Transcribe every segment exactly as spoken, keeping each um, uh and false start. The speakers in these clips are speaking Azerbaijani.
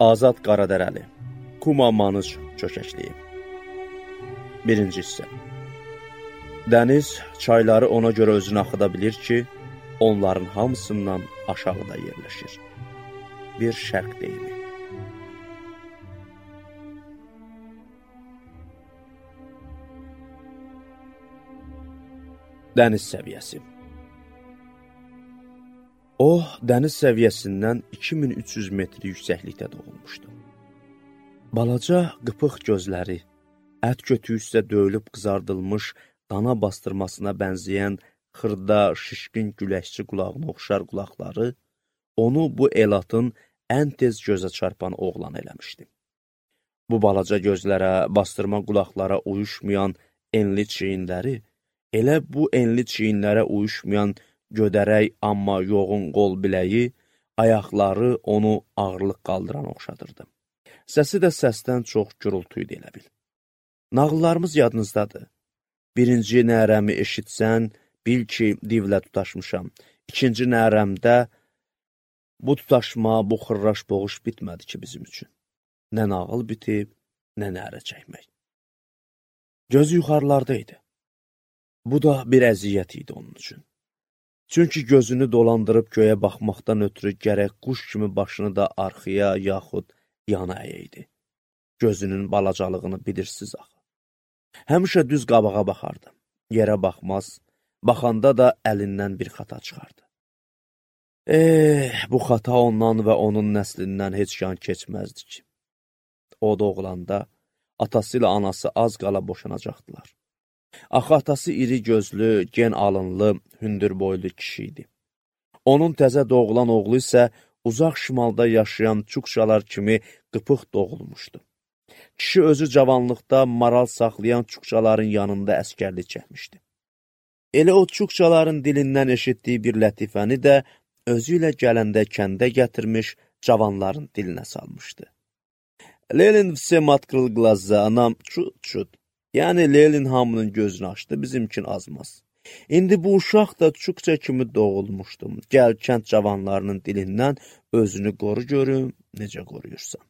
Azad Qaradərəli, Kuma Manıc çökəkliyi. Birinci hissə. Dəniz çayları ona görə özünü axıda bilir ki, onların hamısından aşağıda yerləşir. Bir şərq deyimi. Dəniz səviyyəsi. O, dəniz səviyyəsindən iki min üç yüz metr yüksəklikdə doğulmuşdu. Balaca, qıpıq gözləri, ət kötüyü üstə döyülüb qızardılmış, dana bastırmasına bənzəyən xırda, şişkin güləkçi qulağına oxşar qulaqları, onu bu elatın ən tez gözə çarpan oğlan eləmişdi. Bu balaca gözlərə, bastırma qulaqlara uyuşmayan enli çiyinləri, elə bu enli çiyinlərə uyuşmayan gödərək, amma yoğun qol biləyi, ayaqları onu ağırlıq qaldıran oxşadırdı. Səsi də səsdən çox gürültüydü elə bil. Nağıllarımız yadınızdadır. Birinci nərəmi eşitsən, bil ki, divlə tutaşmışam. İkinci nərəmdə bu tutaşma, bu xırraş boğuş bitmədi ki bizim üçün. Nə nağıl bitib, nə nərə çəkmək. Gözü yuxarılarda idi. Bu da bir əziyyət idi onun üçün. Çünki gözünü dolandırıb göyə baxmaqdan ötürü gərək quş kimi başını da arxaya, yaxud yana əyəydi. Gözünün balacalığını bilirsiniz axı. Həmişə düz qabağa baxardı. Yerə baxmaz, baxanda da əlindən bir xata çıxardı. Eh, bu xata ondan və onun nəslindən heç yan keçməzdi ki. O doğulanda atası ilə anası az qala boşanacaqdılar. Axı atası iri gözlü, gen alınlı, hündür boylu kişi idi. Onun təzə doğulan oğlu isə uzaq şimalda yaşayan çukçalar kimi qıpıq doğulmuşdu. Kişi özü cavanlıqda maral saxlayan çukçaların yanında əskərlik çəkmişdi. Elə o çukçaların dilindən eşitdiyi bir lətifəni də özü ilə gələndə kəndə gətirmiş cavanların dilinə salmışdı. Lelin всем открыл глаза, нам чут-чут. Yəni, Lelin hamının gözünü açdı, bizimkin azmaz. İndi bu uşaq da çukça kimi doğulmuşdum. Gəl kənd cavanlarının dilindən özünü qoru görüm, necə qoruyursan.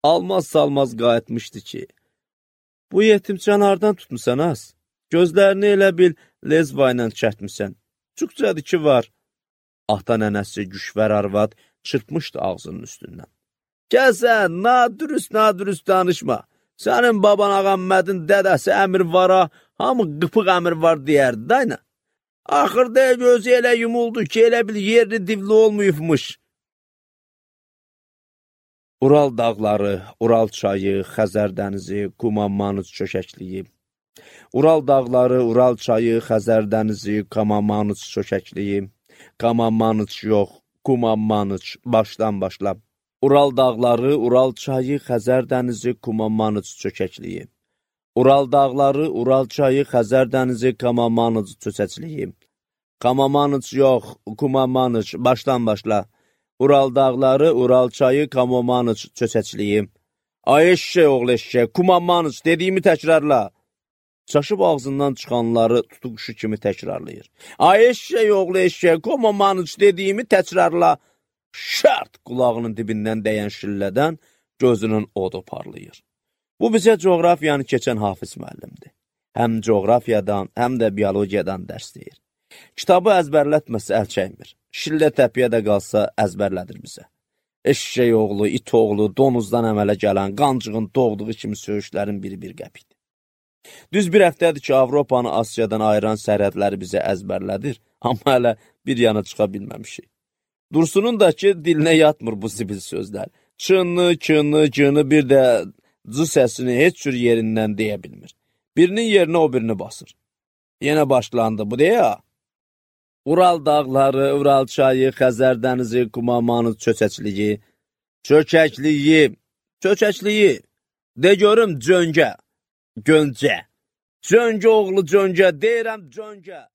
Almaz-salmaz qayıtmışdı ki, bu yetimçən hardan tutmusan az? Gözlərini elə bil lezva ilə çətmisən. Çukçadır ki var. Ata nənəsi Güşvər arvad çırpmışdı ağzının üstündən. Gəsən, nadürüst, nadürüst danışma. Sənin baban Ağammədin dədəsi əmir vara, hamı qıpıq əmir var deyərdi, dayna. Axırda gözü elə yumuldu ki, elə bil yerli divli olmayıbmış. Ural dağları, Ural çayı, Xəzər dənizi, Kuma Manıc çökəkliyi. Ural dağları, Ural çayı, Xəzər dənizi, Kuma Manıc çökəkliyi. Kuma Manıc yox, Kuma Manıc, başdan başla. Ural dağları, Ural çayı, Xəzər dənizi, Kuma Manıc çökəkliyi. Ural dağları, Ural çayı, Xəzər dənizi, Kuma Manıc çökəkliyi. Kuma Manıc yox, Kuma Manıc, başdan başla. Ural dağları, Ural çayı, Kuma Manıc çökəkliyi. Ay eşşək oğlu eşşək, Kuma Manıc dediyimi təkrarla. Çaşıb ağzından çıxanları tutuquşu kimi təkrarlayır. Ay eşşək oğlu eşşək, Kuma Manıc dediyimi təkrarla. Şərt qulağının dibindən dəyən şillədən gözünün odu parlayır. Bu bizə coğrafiyanı keçən Hafiz müəllimdir. Həm coğrafiyadan, həm də biologiyadan dərs deyir. Kitabı əzbərlətməsə əl çəkmir. Şillə təpiyə də qalsa əzbərlədir bizə. Eşşək oğlu, it oğlu, donuzdan əmələ gələn, qancığın doğduğu kimi söyüşlərin biri bir qəpikdir. Düz bir həftədir ki, Avropanı Asiyadan ayıran sərhədləri bizə əzbərlədir, amma hələ bir yana çıxa bilməmişik. Dursunun da ki, dilinə yatmır bu zibil sözlər. Çınlı, çınlı, cını bir də cı səsini heç cür yerindən deyə bilmir. Birinin yerinə o birini basır. Yenə başlandı bu deyə. Ural dağları, Ural çayı, Xəzər dənizi, Kuma Manıc çökəkliyi, çökəkliyi, çökəkliyi, de görüm cöngə, göncə, cöngə oğlu cöngə, deyirəm cöngə.